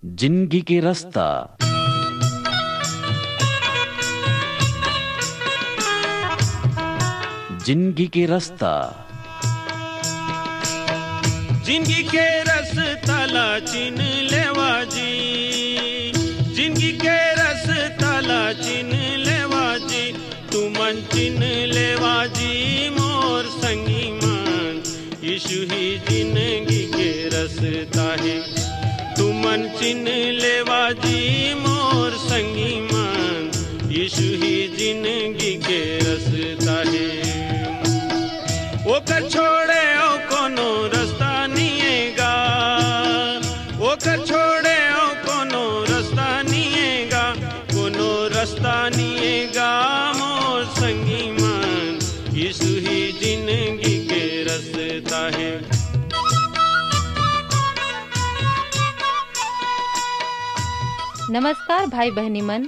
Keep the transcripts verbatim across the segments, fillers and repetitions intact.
जिंदगी के रस्ता। जिंदगी के रस्ता। जिंदगी के रस्ता ला चिन लेवा जी, जिंदगी के रस्ता ला चिन लेवा जी, तुमन चिन लेवा जी मोर संगी मन, यीशु ही जिंदगी के रस्ता हे। तुमन चिन लेवा जी मोर संगी मन, यीशु ही जिंदगी के रस्ता हे। ओकर छोड़े अउ कोनो रस्ता निये गा, ओकर छोड़े अउ कोनो रस्ता निये गा, कोनो रस्ता निये गा मोर संगी मन, यीशु ही जिंदगी के रस्ता हे। नमस्कार भाई बहिनी मन,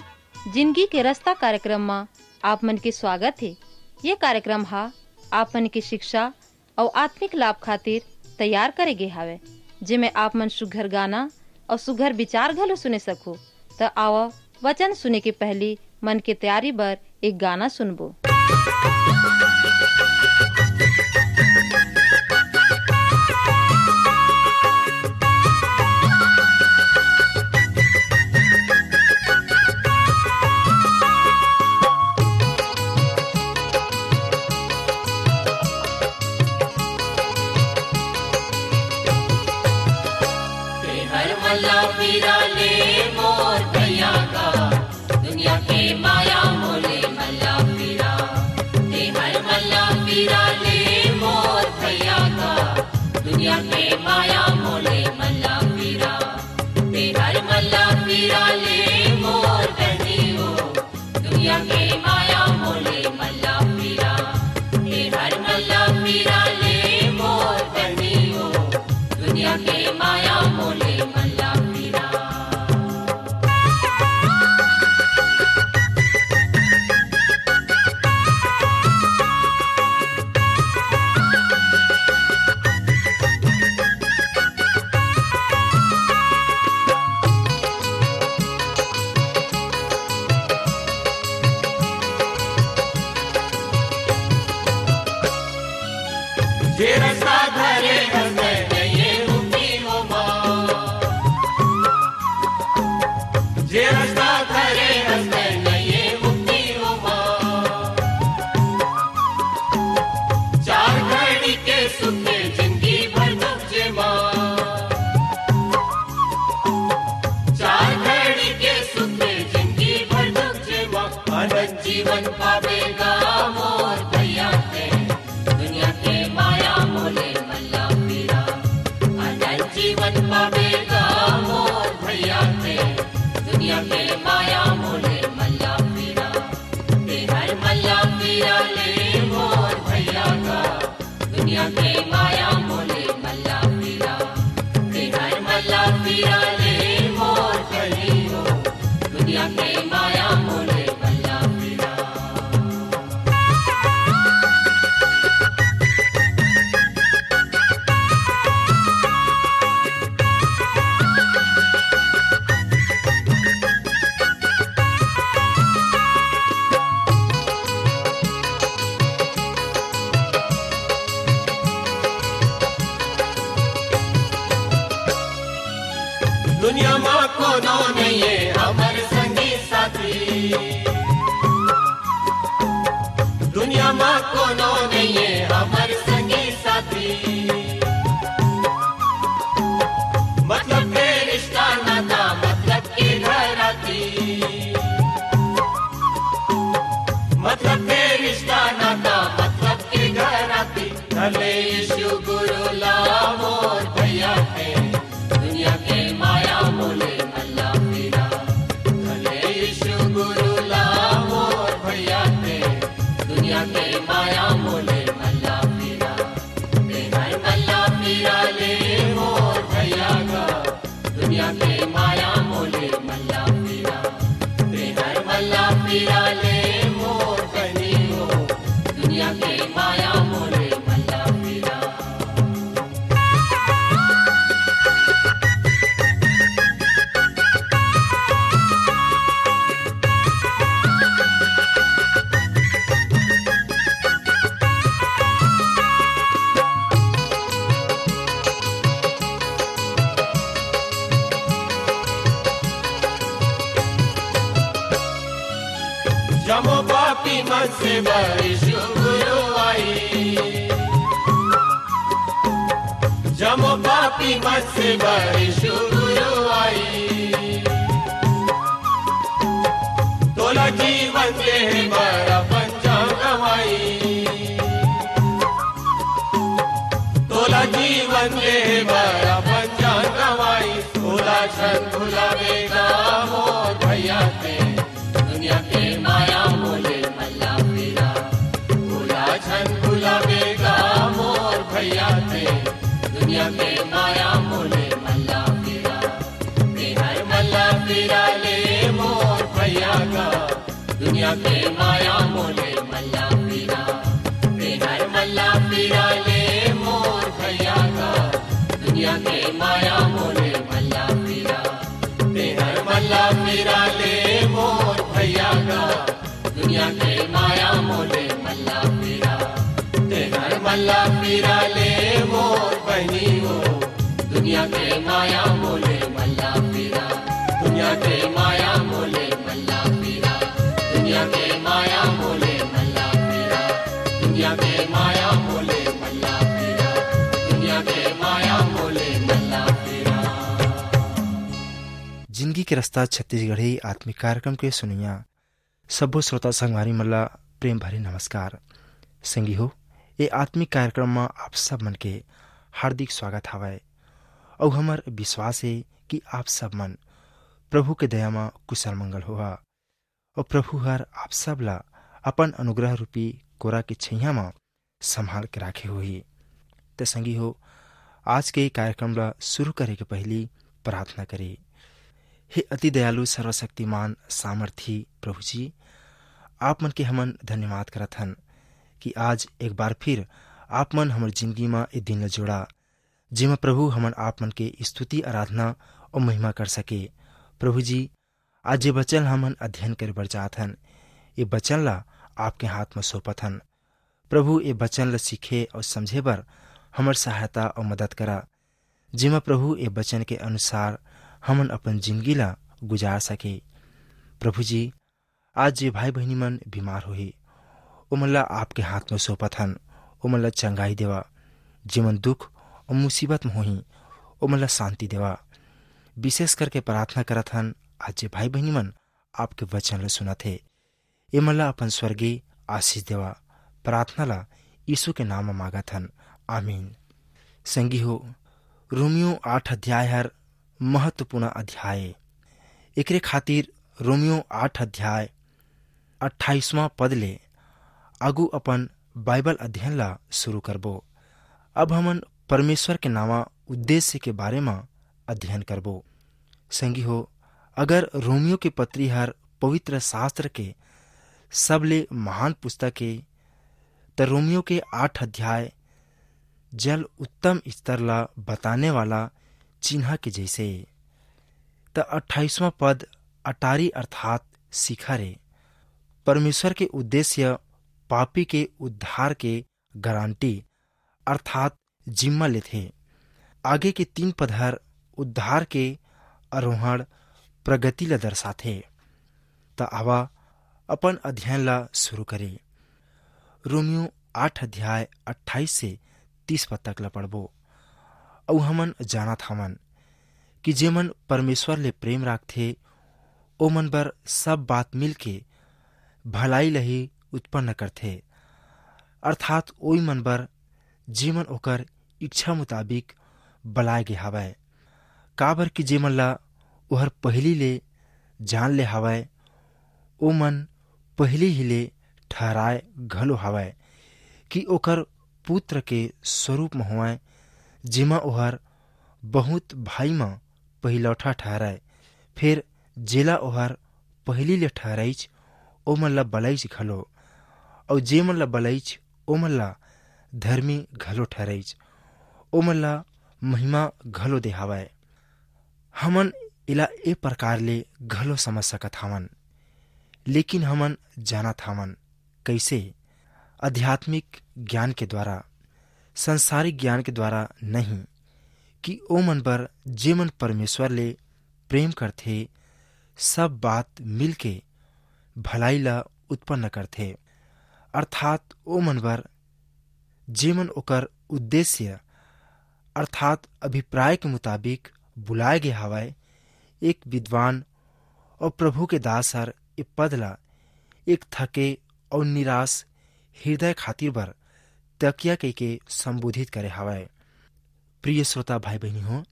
जिंदगी के रस्ता कार्यक्रम म आप मन के स्वागत हे। ये कार्यक्रम ह आप मन के शिक्षा अउ आत्मिक लाभ खातिर तैयार करे गे हावय, जेमे आप मन सुघर गाना अउ सुघर विचार घलो सुने सकहू। त आवा, वचन सुने के पहिली मन के तैयारी बर एक गाना सुनबो। तेहर मल्ला पीरा ले मोर भैया का, दुनिया के माया मोले मल्ला पीरा। तेहर मल्ला पीरा ले मोर भैया का, दुनिया के माया मोले मल्ला पीरा। तेहर मल्ला पीरा ले मोर बहनी हो, दुनिया के माया मोले मल्ला पीरा। तेहर मल्ला पीरा ले मोर बहनी हो, दुनिया के माया मोले मल्ला पीरा। जे रस्ता धरे हस तैं नइये मुक्ति हो माँ। जे रस्ता धरे हस तैं नइये मुक्ति हो माँ। चार घड़ी के सुख के जिंदगी भर दुख जे माँ। चार घड़ी के सुख के जिंदगी भर दुख जे माँ। अनंत जीवन पावेगा मोर भैया तैं। दुनिया के माया मोले मल्ला पीरा। अनंत जीवन पावेगा मोर भैया तैं। दुनिया के माया मोले मल्ला पीरा। तेहर मल्ला पीरा ले मोर भैया का। दुनिया के माया मोले मल्ला पीरा। तेहर मल्ला पीरा ले मोर कली हो। दुनिया के माया मोले मल्ला पीरा। दुनिया मा कोनो नइये हमर संगी साथी। दुनिया मा कोनो नइये हमर संगी साथी। मतलब के रिश्ता नाता, मतलब के घराती। मतलब के रिश्ता नाता, मतलब के घराती। धर ले यीशु गुरु ला मोर भैया तैं। दुनिया के माया मोले मल्ला पीरा। धर ले यीशु गुरु ला मोर भैया तैं। दुनिया के माया मोले मल्ला पीरा। तेहर मल्ला पीरा ले मोर भैया का। दुनिया के माया मोले मल्ला पीरा। तेहर मल्ला पीरा ले मोर बहनी हो। दुनिया के माया मोले मल्ला पीरा। से बर यीशु गुरु आई, जम्मो पापी मन से बर यीशु गुरु आई। तोला जीवन देहे बर अपन जान गंवाई, तोला जीवन देहे बर अपन जान गंवाई। तोला झन भुलावे गा मोर भैया ते, दुनिया के माया मोले मल्ला फिरा। तोला झन भुलावे गा मोर भैया ते, दुनिया के माया मोले मल्ला फिरा। तेहर मल्ला फिरा ले मोर भैया गा, दुनिया के माया मोले मल्ला फिरा। तेहर मल्ला फिरा ले मोर भैया गा, दुनिया के माया मोले मल्ला फिरा। तेहर मल्ला फिरा ले मोर भैया गा, दुनिया के माया मोले मल्ला फिरा। तेहर मल्ला फिरा ले मोर बहिनी हो, दुनिया के माया मोले मल्ला फिरा। दुनिया के माया मोले मल्ला फिरा। दुनिया के माया मोले मल्ला फिरा। दुनिया के माया मोले मल्ला फिरा। दुनिया के माया मोले मल्ला फिरा। जिंदगी के रास्ता छत्तीसगढ़ी आत्मिक कार्यक्रम के सुनइया सब्बो श्रोता संगवारी मन ला प्रेम भरे नमस्कार। संगी हो, ए आत्मिक कार्यक्रम म आप सब मन के हार्दिक स्वागत हवय। अउ हमर विश्वास हे कि आप सब मन प्रभु के दया म कुशल मंगल होहा, अउ प्रभु हर आप सब ला अपन अनुग्रह रूपी कोरा के छैया म संभाल के राखे होही। त संगी हो, आज के कार्यक्रम ला शुरू करे के पहिली प्रार्थना करे। हे अति दयालु, सर्वशक्तिमान, सामर्थी प्रभु जी, आप मन के हमन धन्यवाद करत हन कि आज एक बार फिर आप मन हमर जिंदगी म ए दिन ला जोड़ा, जेमा प्रभु हमन आप मन के स्तुति, आराधना अउ महिमा कर सके। प्रभु जी, आज जे वचन हमन अध्ययन करे बर जात हन, ए वचन ला आपके हाथ म सौंपत हन। प्रभु, ए वचन ला सीखे अउ समझे बर हमर सहायता अउ मदद करा, जेमा प्रभु, ए वचन के अनुसार हमन अपन जिंदगी ला गुजार सके। प्रभु जी, आज जे भाई बहिनी मन बीमार होही, ओमन ला आपके हाथ म सौंपत हन, ओमन ला चंगाई देवा। जेमन दुख अउ मुसीबत म होही, ओमन ला शांति देवा। विशेष करके प्रार्थना करत हन, आज जे भाई बहिनी मन आपके वचन ला सुनत हे, एमन ला अपन स्वर्गीय आशीष देवा। प्रार्थना ला यीशु के नाम म मांगत हन, आमीन। संगी हो, रोमियो आठ अध्याय हर महत्वपूर्ण अध्याय ए। एकरे खातिर रोमियो आठ अध्याय अट्ठाईसवाँ पद ले आगू अपन बाइबल अध्ययन ला शुरू करबो। अब हमन परमेश्वर के नावा उद्देश्य के बारे म अध्ययन करबो। संगी हो, अगर रोमियो के पत्री हर पवित्र शास्त्र के सबले महान पुस्तक ए, त रोमियो के आठ अध्याय जल उत्तम स्तर ला बताने वाला चिन्हा के जैसे ए। त अट्ठाईसवाँ पद अटारी अर्थात शिखर ए। परमेश्वर के उद्देश्य पापी के उद्धार के गारंटी अर्थात जिम्मा लेथे। आगे के तीन पद हर उद्धार के आरोहण प्रगति ला दर्शाथे। त आवा अपन अध्ययन ला शुरू करे। रोमियो आठ अध्याय अट्ठाईस से तीस पद तक ला पढ़बो। अउ हमन जानत हवन कि जेमन परमेश्वर ले प्रेम राखथे, ओमन बर सब बात मिलके भलाई ला ही उत्पन्न करथे, अर्थात ओई मन बर जेमन ओकर इच्छा मुताबिक बलाय गे हवय। काबर कि जेमन ला ओहर पहिली ले जान ले हवय, ओमन पहिली ही ले ठहराय घलो हवय कि ओकर पुत्र के स्वरूप म होवय, जेमा ओहर बहुत भाई म पहिलौठा ठहरय। फेर जेला ओहर पहिली ले ठहराइच, ओमन ला बलाइच घलो, अउ जेमन ला बलाइच, ओमन ला धर्मी घलो ठहराइच, ओमन ला महिमा घलो देहावय। हमन एला ए प्रकार ले घलो समझ सकत हवन, लेकिन हमन जानत हवन, कइसे? आध्यात्मिक ज्ञान के द्वारा, संसारिक ज्ञान के द्वारा नहीं, कि ओमन बर जेमन परमेश्वर ले प्रेम करथे, सब बात मिलके भलाई ला उत्पन्न करथे। अर्थात ओ मन बर, जेमन ओकर उद्देश्य अर्थात अभिप्राय के मुताबिक बुलाए गे हवय, एक विद्वान और प्रभु के दास हर ए पद ला एक थके और निराश हृदय खातिर बर तकिया कहिके संबोधित करे हवय। प्रिय श्रोता भाई बहिनी हो,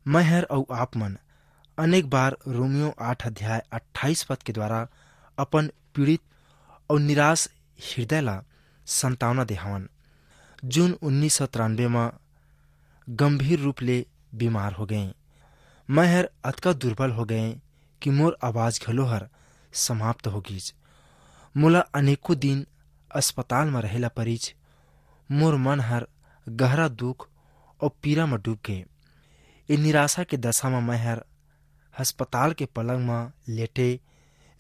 मैं हर अउ आप मन अनेक बार रोमियो आठ अध्याय अट्ठाईस पद के द्वारा अपन पीड़ित और निराश हृदय ला संतावना देहावन, जून उन्नीस सौ तिरानबे म गंभीर रूप ले बीमार हो गए। मैं हर अतका दुर्बल हो गए कि मोर आवाज घलो हर समाप्त हो गीच। मोला अनेकों दिन अस्पताल म रहे ला परिच। मोर मन हर गहरा दुख और पीरा म डूब गए। ए निराशा के दशा म मैं हर अस्पताल के पलंग म लेटे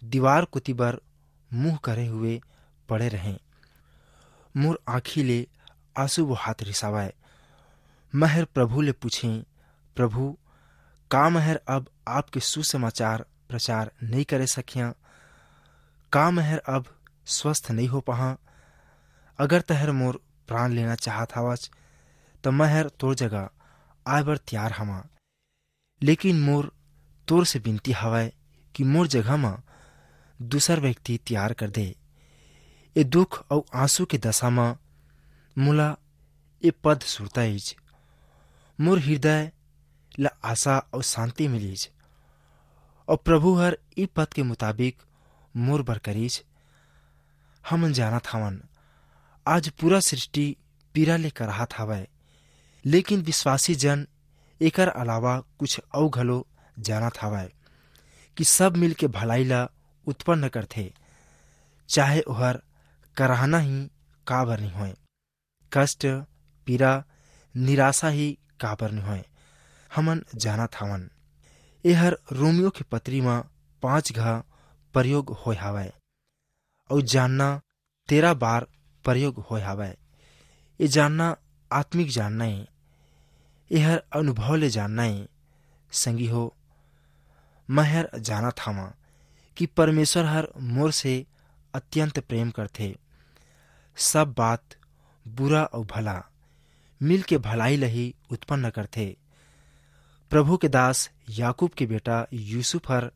दीवार कोति बर मुंह करे हुए पड़े रहें। मोर आँखी ले आंसू बोहात रिसावय। मैं हर प्रभु ले पूछें, "प्रभु, का मैं हर अब आपके सुसमाचार प्रचार नइ करे सकियां? का मैं हर अब स्वस्थ नइ हो पाहां? अगर तहर मोर प्राण लेना चाहत हवच, त मैं हर तोर जगह आए बर तैयार हवां।" लेकिन मोर तोर से बिनती हवय कि मोर जगह म दूसर व्यक्ति तैयार कर दे। ए दुख अउ आंसू के दशा म मोला ए पद सुरताइच। मोर हृदय ल आशा अउ शांति मिलिच, अउ प्रभु हर ई पद के मुताबिक मोर बर करिच। हमन जानत हवन, आज पूरा सृष्टि पीरा ले कराहत हवय, लेकिन विश्वासी जन एकर अलावा कुछ अउ घलो जानत हवय कि सब मिल के भलाई ला उत्पन्न करथे, चाहे ओहर कराहना ही काबर नहीं होय, कष्ट, पीरा, निराशा ही काबर नहीं होय। हमन जानत हवन, एहर रोमियो के पत्री म पांच घा प्रयोग होय हवय। अउ जानना तेरह बार प्रयोग होय हावय। ये जानना आत्मिक जानना हे, एहर अनुभव ले जानना हे। संगी हो, मैं हर जानत हावं कि परमेश्वर हर मोर से अत्यंत प्रेम करथे। सब बात, बुरा अउ भला, मिल के भलाई ल ही उत्पन्न करथे। प्रभु के दास याकूब के बेटा यूसुफ हर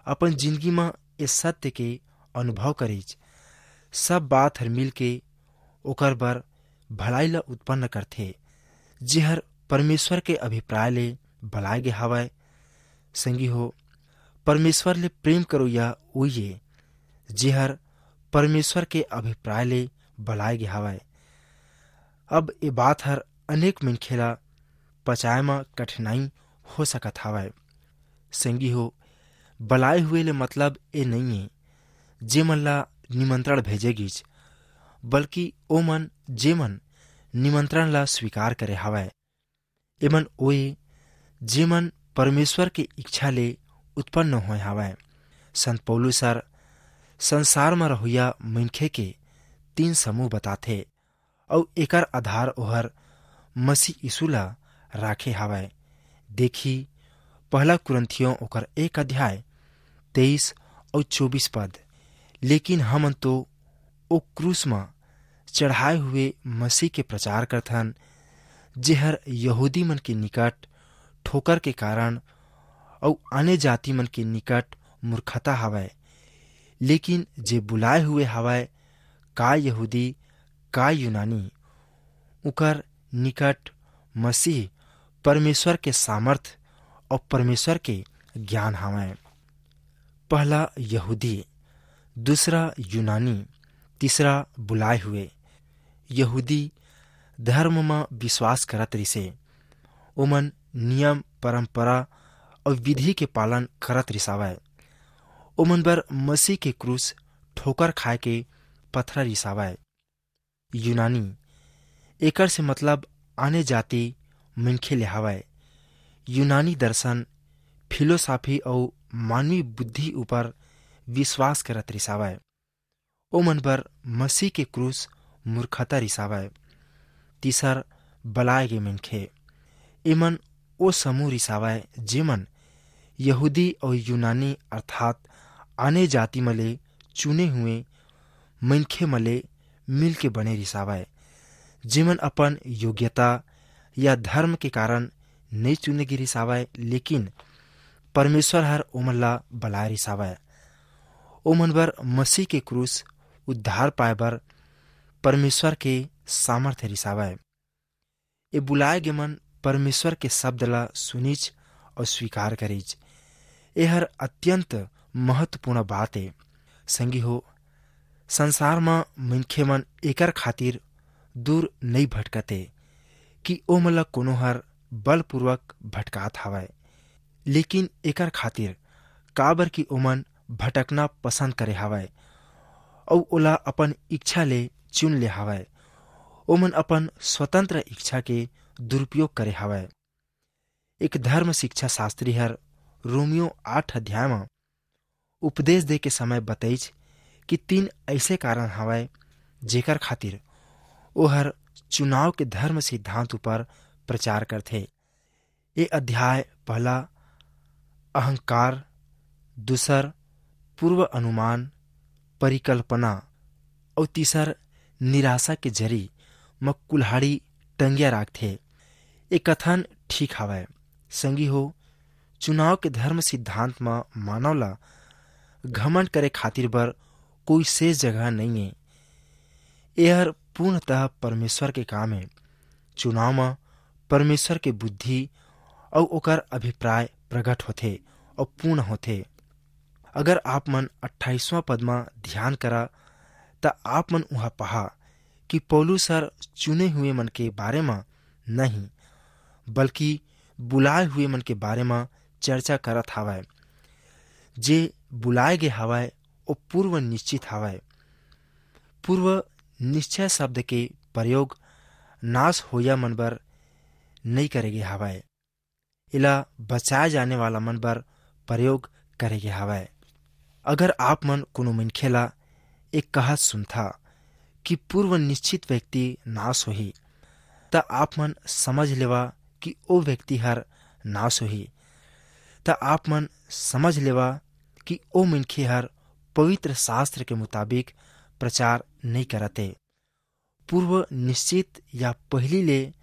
अपन जिंदगी म ए सत्य के अनुभव करिच। सब बात हर मिल के ओकर बर भलाई ल उत्पन्न करथे, जेहर परमेश्वर के अभिप्राय ले बलाय गे हवय। संगी हो, परमेश्वर ले प्रेम करोइया उही ए, जेहर परमेश्वर के अभिप्राय ले बलाय गे हवय। अब ए बात हर अनेक मनखे ला पचाए म कठिनाई हो सकत हवय। संगी हो, बलाए हुए ले मतलब ए नइये, जेमन ला निमंत्रण भेजे गिस, बल्कि ओमन, जेमन निमंत्रण ला स्वीकार करे हवय। एमन ओए, जेमन परमेश्वर के इच्छा ले उत्पन्न होए हवय। संत पौलुस हर संसार म रहुइया मनखे के तीन समूह बताथे, अउ एकर आधार ओहर मसीह यीशु ला राखे हवय। देखी, पहला कुरिन्थियों ओकर एक अध्याय तेईस अउ चौबीस पद, "लेकिन हमन तो ओ क्रूस म चढ़ाए हुए मसीह के प्रचार करथन, जेहर यहूदी मन के निकट ठोकर के कारण अउ आने जाति मन के निकट मूर्खता हवय, लेकिन जे बुलाए हुए हवय, का यहूदी, का यूनानी, उकर निकट मसीह परमेश्वर के सामर्थ अउ परमेश्वर के ज्ञान हवय।" पहला यहूदी, दूसरा यूनानी, तीसरा बुलाए हुए। यहूदी धर्म म विश्वास करत रिसे। ओमन नियम, परंपरा अउ विधि के पालन करत रिसावय। ओमन बर मसीह के क्रूस ठोकर खाए के पथरा रिसावय। यूनानी, एकर से मतलब आने जाति मनखे ले हवय। यूनानी दर्शन, फिलोसॉफी अउ मानवी बुद्धि ऊपर विश्वास करत रिसावय। ओमन बर मसीह के क्रूस मूर्खता रिसावय। तीसर, बलाए गे मनखे। एमन ओ समूह रिसावय, जेमन यहूदी अउ यूनानी अर्थात आने जाति म ले चुने हुए मनखे म ले मिल के बने रिसावय, जेमन अपन योग्यता या धर्म के कारण नई चुने गे रिसावय, लेकिन परमेश्वर हर ओमन ला बलाय रिसावय। ओमन बर मसीह के क्रूस उद्धार पाए बर परमेश्वर के सामर्थ्य रिसावय। ए बुलाए गे मन परमेश्वर के शब्द ला सुनिच और स्वीकार करिच। एहर अत्यंत महत्वपूर्ण बात ए। संगी हो, संसार म मनखे मन एकर खातिर दूर नई भटकते कि ओमन ला कोनो हर बलपूर्वक भटकात हवय, लेकिन एकर खातिर काबर कि ओमन भटकना पसंद करे हवय अउ ओला अपन इच्छा ले चुन ले हवय। ओमन अपन स्वतंत्र इच्छा के दुरुपयोग करे हवय। एक धर्म शिक्षा शास्त्री हर रोमियो आठ अध्याय म उपदेश दे के समय बतईच कि तीन ऐसे कारण हवय, जेकर खातिर ओहर चुनाव के धर्म सिद्धांत ऊपर प्रचार करथे। ये अध्याय पहला अहंकार, दूसर पूर्व अनुमान, परिकल्पना अउ तीसर निराशा के जरी म कुल्हाड़ी टंगिया राखथे। ये कथन ठीक हवय। संगी हो, चुनाव के धर्म सिद्धांत म मानव ला घमंड करे खातिर बर कोई शेष जगह नइये। एहर पूर्णतः परमेश्वर के काम हे। चुनाव म परमेश्वर के बुद्धि अउ ओकर अभिप्राय प्रकट होथे अउ पूर्ण होथे। अगर आप मन अट्ठाईसवां पद म ध्यान करा, त आप मन उहाँ पहा कि पौलुस हर चुने हुए मन के बारे म नहीं, बल्कि बुलाए हुए मन के बारे म चर्चा करत हावय। जे बुलाए गे हावय, ओ पूर्व निश्चित हावय। पूर्व निश्चय शब्द के प्रयोग नाश होइया मन बर नई करे गे हावय, एला बचाए जाने वाला मन बर प्रयोग करे गे हावय। अगर आप मन कोनो मनखे ला एक कहत सुनथा कि पूर्व निश्चित व्यक्ति नाश होही, त आप मन समझ लेवा कि ओ व्यक्ति हर नाश होही। त आप मन समझ लेवा कि ओ मनखे हर पवित्र शास्त्र के मुताबिक प्रचार नई करत हे। पूर्व निश्चित या पहिली ले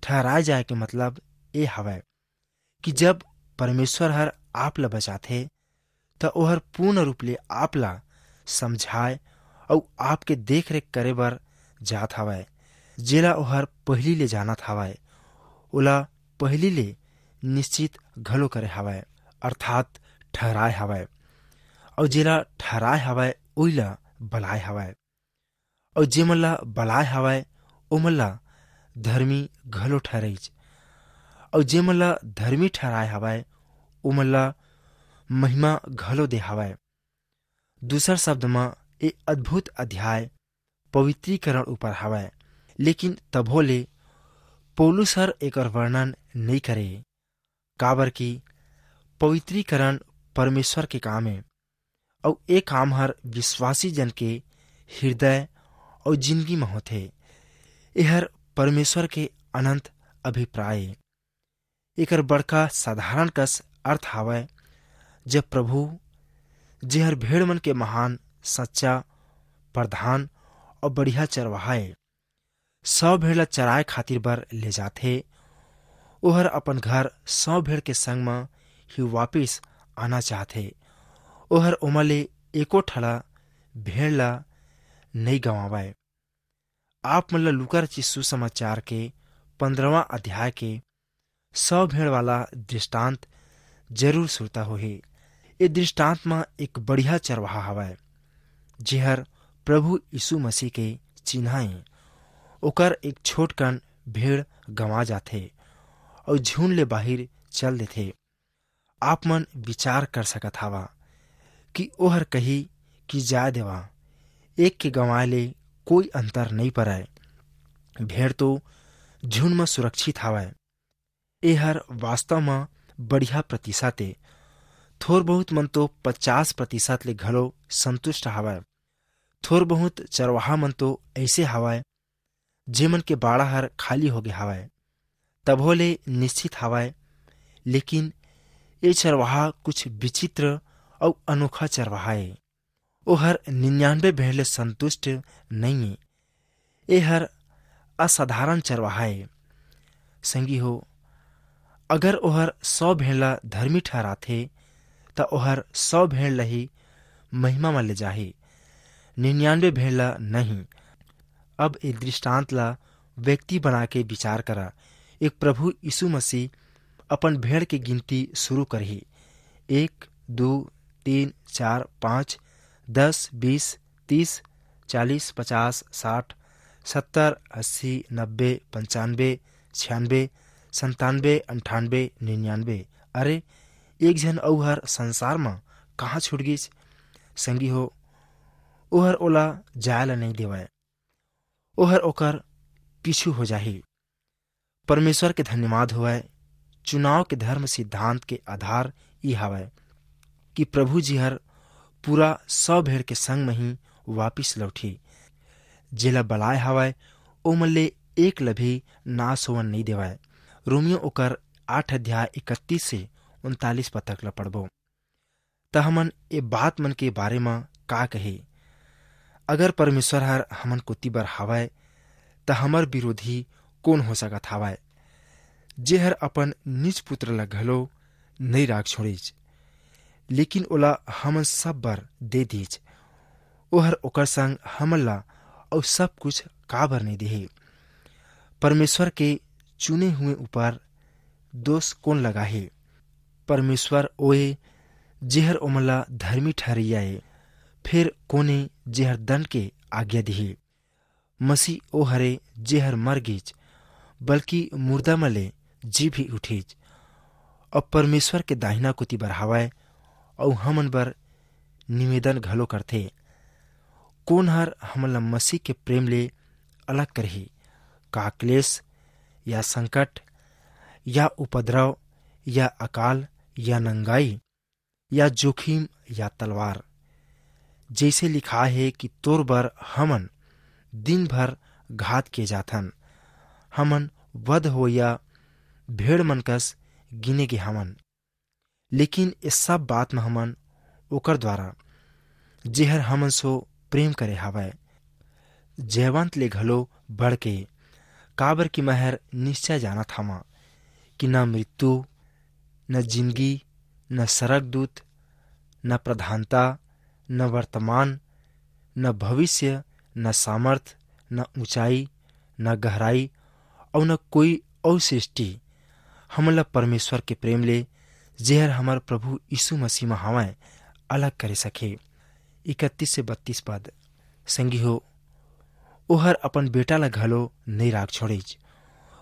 ठहराए जाए के मतलब ए हवय कि जब परमेश्वर हर आप ला बचाथे, त ओहर पूर्ण रूप ले आप ला समझाए अउ आपके देख-रेख करे बर जात हवय। जेला ओहर पहिली ले जानत हवय, ओला पहिली ले निश्चित घलो करे हवय, अर्थात ठहराए हवय। अउ जेला ठहराए हवय, ओइला बलाए हवय। अउ जेमन ला बलाए हवय, ओमन ला धर्मी घलो ठहरइच। अउ जेमन ला धर्मी ठहराए हवय, ओमन ला महिमा घलो दे हवय। दूसर शब्द म, ए अद्भुत अध्याय पवित्रीकरण ऊपर हवय, लेकिन तभो ले पौलुस हर एकर वर्णन नई करे, काबर कि पवित्रीकरण परमेश्वर के काम ए, अउ ए काम हर विश्वासी जन के हृदय अउ जिंदगी म होथे। एहर परमेश्वर के अनंत अभिप्राय ए। एकर बड़का साधारण कस अर्थ हावय, जब प्रभु, जेहर भेड़ मन के महान, सच्चा, प्रधान अउ बढ़िया चरवाहा ए, सौ भेड़ ला चराए खातिर बर ले जाथे, ओहर अपन घर सौ भेड़ के संग म ही वापिस आना चाहथे। ओहर ओमा ले एको ठला भेड़ ला नई गंवावय। आप मन ला लूका रचित सुसमाचार के पंद्रहवाँ अध्याय के सौ भेड़ वाला दृष्टांत जरूर सुरता होही। ए दृष्टांत म एक बढ़िया चरवाहा हवय, जेहर प्रभु यीशु मसीह के चिन्हा ए। ओकर एक छोटकन भेड़ गंवा जाथे अउ झुंड ले बाहिर चल देथे। आप मन विचार कर सकत हवा कि ओहर कही कि जाय देवा, एक के गंवाए ले कोई अंतर नई परय। भेड़ तो झुंड म सुरक्षित हवय। एहर वास्तव म बढ़िया प्रतिशत ए। थोर बहुत मन तो पचास प्रतिशत ले घलो संतुष्ट हवय। थोर बहुत चरवाहा मन तो ऐसे हवय, जेमन के बाड़ा हर खाली होगे हवय। तभो ले निश्चित हवय, लेकिन ए चरवाहा कुछ विचित्र अउ अनोखा चरवाहा ए। ओहर निन्यानबे भेड़ ले संतुष्ट नइये। ए हर असाधारण चरवाहा ए। संगी हो, अगर ओहर सौ भेड़ ला धर्मी ठहराथे, त ओहर सौ भेड़ ला ही महिमा म ले जाही, निन्यानवे भेड़ ला नहीं। अब ए दृष्टांत ला व्यक्ति बना के विचार करा। एक प्रभु यीशु मसीह अपन भेड़ के गिनती शुरू करही। एक, दू, तीन, चार, पाँच, दस, बीस, तीस, चालीस, पचास, साठ, सत्तर, अस्सी, नब्बे, पंचानबे, छियानबे, संतानबे, अंठानबे, निन्यानबे। अरे, एक झन अऊ हर संसार म कहाँ छूट गिस? संगी हो, ओहर ओला जाय ल नइ देवय, ओहर ओकर पीछू हो जाही। परमेश्वर के धन्यवाद होवय, चुनाव के धर्म सिद्धांत के आधार ई हावय कि प्रभु जी हर पूरा सौ भेड़ के संग म ही वापिस लौटही। जेला बलाय हावय, ओमन ले एक ल भी नाश होवन नइ देवय। रोमियो ओकर आठ अध्याय इकतीस से उनतालीस पद तक ल पढ़बो। त हमन ए बात मन के बारे म का कहे? अगर परमेश्वर हर हमन कोति बर हावय, त हमर विरोधी कोन हो सकत हावय? जेहर अपन निज पुत्र ला घलो नइ राख छोड़िस, लेकिन ओला हमन सब बर दे दीस, ओहर ओकर संग हमन ला अऊ सब कुछ काबर नइ देही? परमेश्वर के चुने हुए ऊपर दोष कोन लगाही? परमेश्वर ओए, जेहर ओमन ला धर्मी ठहरइया ए, फेर कोने जेहर दंड के आज्ञा दिही? मसीह ओ हरे, जेहर मर गीच, बल्कि मुर्दा म ले जी भी उठीच, अउ परमेश्वर के दाहिना कोति बर हावय, अउ हमन बर निवेदन घलो करथे। कोन हर हमन ला मसीह के प्रेम ले अलग करही? का क्लेश, या संकट, या उपद्रव, या अकाल, या नंगाई, या जोखिम, या तलवार? जैसे लिखाय हे कि तोर बर हमन दिन भर घात किए जाथन, हमन वध होइया भेड़ मन कस गिने गे हवन। लेकिन ए सब बात म हमन ओकर द्वारा, जेहर हमन सो प्रेम करे हावय, जयवंत ले घलो बढ़ के, काबर कि मैं हर निश्चय जानत हावं कि न मृत्यु, न जिंदगी, न सरगदूत, न प्रधानता, न वर्तमान, न भविष्य, न सामर्थ, न ऊंचाई, न गहराई, अउ न कोई अउ सृष्टि हमन ला परमेश्वर के प्रेम ले, जेहर हमर प्रभु यीशु मसीह म हवय, अलग करे सके। इकतीस से बत्तीस पद। संगी हो, ओहर अपन बेटा ला घलो नइ राख छोड़िच।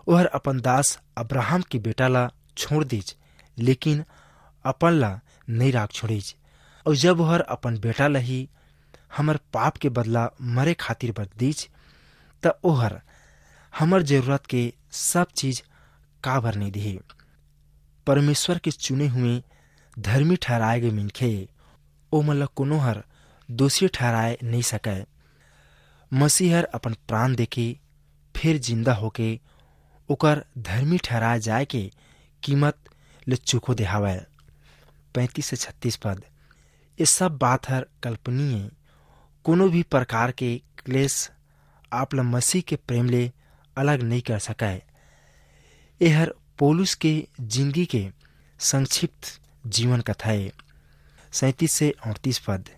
ओहर अपन दास अब्राहम के बेटा ला छोड़ दीच, लेकिन अपन ला नइ राख छोड़िच। अउ जब ओहर अपन बेटा ला ही हमर पाप के बदला मरे खातिर बर दीच, त ओहर हमर जरूरत के सब चीज काबर नइ दिही? परमेश्वर के चुने हुए धर्मी ठहराए गए मनखे, ओमन ला कोनो हर दोषी ठहराए नइ सकय। मसीह हर अपन प्राण देके, फेर जिंदा होके, ओकर धर्मी ठहराए जाए के कीमत ले चुको देहावय। पैंतीस से छत्तीस पद। ये सब बात हर कल्पनीय। कोनो भी प्रकार के क्लेश आप ला मसीह के प्रेम ले अलग नइ कर सकय। एहर पौलुस के जिंदगी के संक्षिप्त जीवन कथा ए। सैंतीस से अड़तीस पद।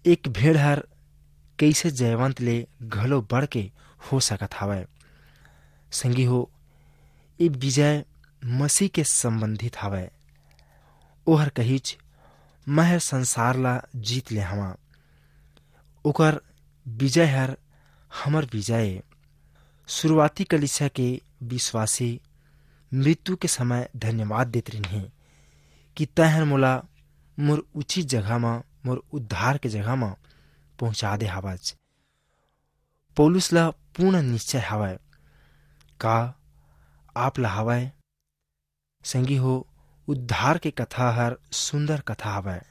एक भेड़ हर कइसे जयवंत ले घलो बढ़ के हो सकत हावय? संगी हो, ए विजय मसीह के संबंधित हावय। ओहर कहिच, "मैं हर संसार ला जीत ले हवां।" ओकर विजय हर हमर विजय ए। शुरुआती कलीसिया के विश्वासी मृत्यु के समय धन्यवाद देत रिहिन हे कि तैं हर मोला मोर उचित जगह म, मोर उद्धार के जगह म पहुंचा दे हावच। पौलुस ला पूर्ण निश्चय हावय। का आप ला हावय? संगी हो, उद्धार के कथा हर सुंदर कथा हावय।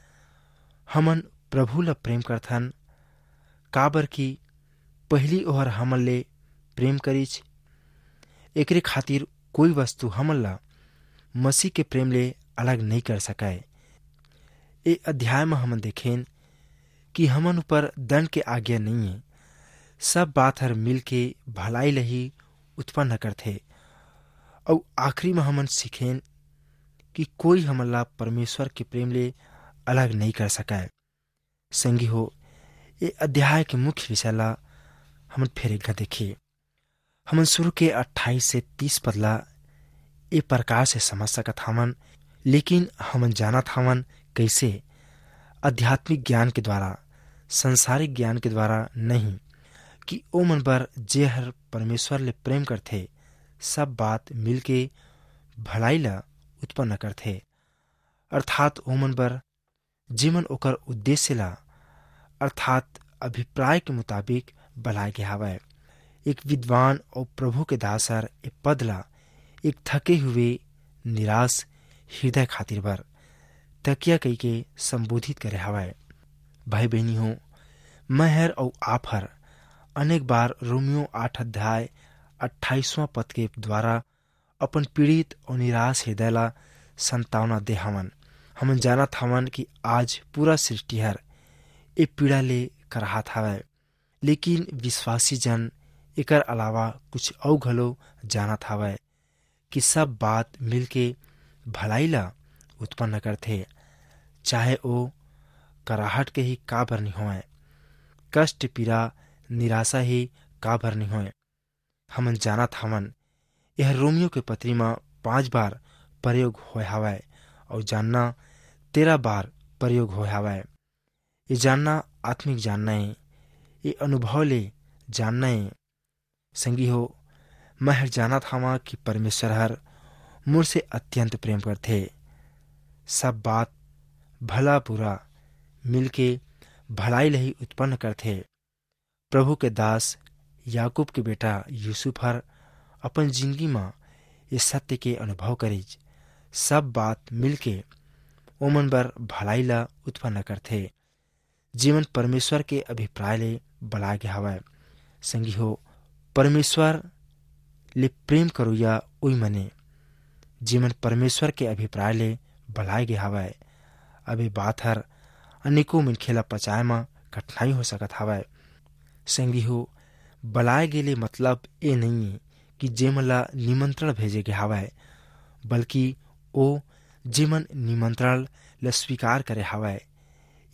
हमन प्रभु ला प्रेम करथन, काबर कि पहिली ओहर हमन ले प्रेम करिच। एकरे खातिर कोई वस्तु हमन ला मसीह के प्रेम ले अलग नइ कर सकय। ए अध्याय म हमन देखेन कि हमन ऊपर दंड के आज्ञा नइ हे, सब बात हर मिल के भलाई ल ही उत्पन्न करथे। अउ आखिरी म हमन सीखेन कि कोई हमन ला परमेश्वर के प्रेम ले अलग नहीं कर सकय। संगी हो, ये अध्याय के मुख्य विषय ला हमन फेर एक घा देखी। हमन शुरू के अट्ठाईस से तीस पद ला ए प्रकार से समझ सकत हवन, लेकिन हमन जानत हवन कैसे? आध्यात्मिक ज्ञान के द्वारा, संसारिक ज्ञान के द्वारा नहीं, कि ओमन बर जे हर परमेश्वर ले प्रेम करथे, सब बात मिलके भलाई ला उत्पन्न करथे, अर्थात ओमन बर जेमन ओकर उद्देश्य ला, अर्थात अभिप्राय के मुताबिक बलाय गे हावय। एक विद्वान अउ प्रभु के दास हर ए पद ला एक थके हुए निराश हृदय खातिर बर तकिया कहिके संबोधित करे हावय। भाई बहिनी हो, मैं हर अउ आप हर अनेक बार रोमियो आठ अध्याय अट्ठाईसवां पद के द्वारा अपन पीड़ित अउ निराश हृदय ला संतावना दे हवन। हमन जानत हवन कि आज पूरा सृष्टि हर ए पीड़ा ले कराहत हवय, लेकिन विश्वासी जन एकर अलावा कुछ अउ घलो जानत हवय कि सब बात मिलके भलाई ला उत्पन्न करथे, चाहे ओ कराहट के ही काबर नि होवय, कष्ट, पीड़ा, निराशा ही काबर नि होय। हमन जानत हवन, यह रोमियो के पत्री म पांच बार प्रयोग होय हवय अउ जानना तेरह बार प्रयोग होय हवय। ये जानना आत्मिक जानना ए, ये अनुभव ले जानना ए। संगी हो, मैं हर जानत हवं कि परमेश्वर हर मोर से अत्यंत प्रेम करथे। सब बात भला बुरा मिलके भलाई ल ही उत्पन्न करथे। प्रभु के दास याकूब के बेटा यूसुफ हर अपन जिंदगी म ये सत्य के अनुभव करिस। सब बात मिलके ओमन बर भलाई ला उत्पन्न करथे, जेमन परमेश्वर के अभिप्राय ले बलाय गे हवय। संगी हो, परमेश्वर ले प्रेम करोइया उई मने, जेमन परमेश्वर के अभिप्राय ले बलाय गे हवय। अब ये बात हर अनेकों मनखे ला पचाए म कठिनाई हो सकत हवय। संगी हो, बलाय गे ले मतलब ए नइये कि जेमन ला निमंत्रण भेजे गे हवय, बल्कि ओ जेमन निमंत्रण ला स्वीकार करे हवय,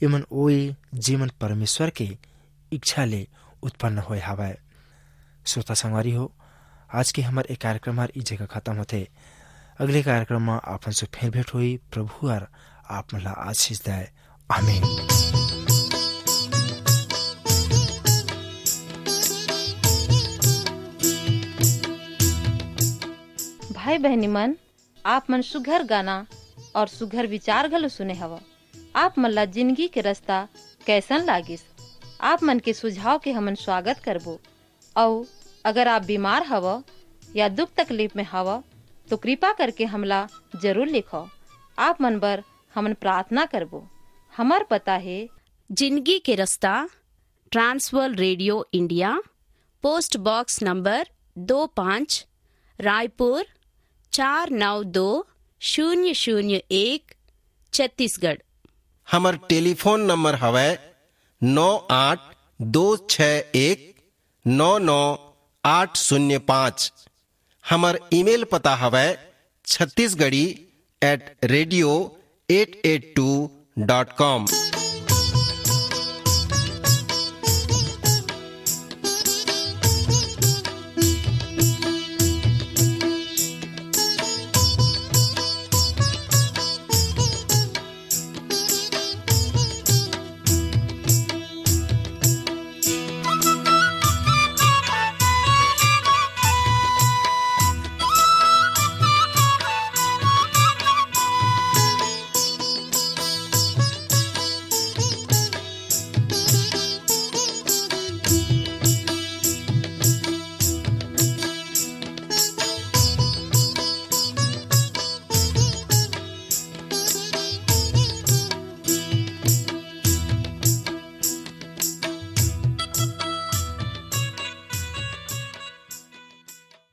एमन ओए जेमन परमेश्वर के इच्छा ले उत्पन्न होए हवय। श्रोता संगवारी हो, आज के हमर ए कार्यक्रम हर ई जगह खत्म होथे। अगले कार्यक्रम म आपन से फेर भेंट होई। प्रभु हर आप मन ला आशीष दय। आमीन। भाई बहनी मन, आप मन सुघर गाना और सुघर विचार घलो सुने हव। आप मन ला जिंदगी के रास्ता कैसन लागिस? आप मन के सुझाव के हमन स्वागत करबो। अउ अगर आप बीमार हव या दुख तकलीफ में हव, तो कृपा करके हमला जरूर लिखव। आप मन बर हमन प्रार्थना करबो। हमर पता हे जिंदगी के रास्ता, Trans World radio India, post box number दो पाँच, रायपुर चार नौ दो शून्य शून्य एक, छत्तीसगढ़। हमर टेलीफोन नंबर हवय नौ आठ दो छः एक नौ नौ आठ शून्य पाँच। हमर ईमेल पता हवय Chhattisgarhi at radio eight eight two dot com।